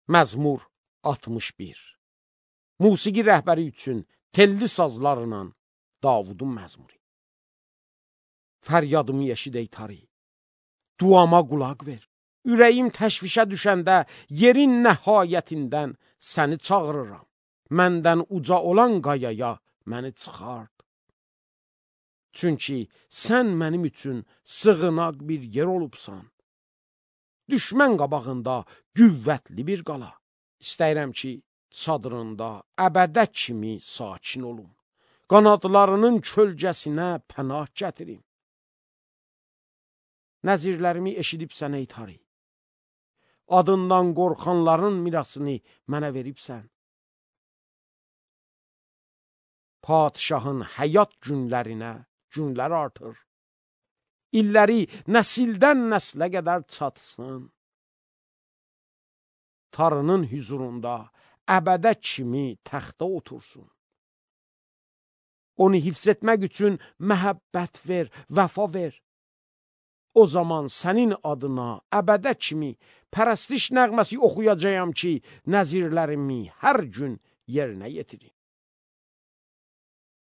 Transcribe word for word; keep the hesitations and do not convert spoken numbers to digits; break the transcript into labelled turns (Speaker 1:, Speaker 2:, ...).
Speaker 1: Məzmur altmış bir. Musiqi rəhbəri üçün telli sazlarla Davudun məzmuru. Fəryadımı eşid ey Tari, duama qulaq ver. Ürəyim təşvişə düşəndə yerin nəhayətindən səni çağırıram. Məndən uca olan qayaya məni çıxart. Çünki sən mənim üçün sığınaq bir yer olubsan. Düşmən qabağında qüvvətli bir qala. İstəyirəm ki, çadırında əbədə kimi sakin olum. Qanadlarının kölgəsinə pənah gətirim. Nəzirlərimi eşidibsən ey Tari. Adından qorxanların mirasını mənə veribsən. Padişahın həyat günlərinə günlər artır. İlləri nəsildən nəslə qədər çatsın. Tarının hüzurunda əbədə kimi təxtə otursun. Onu hifz etmək üçün məhəbbət ver, vəfa ver. O zaman sənin adına əbədə kimi pərəstiş nəğməsi oxuyacağam ki, nəzirlərimi hər gün yerinə yetirim.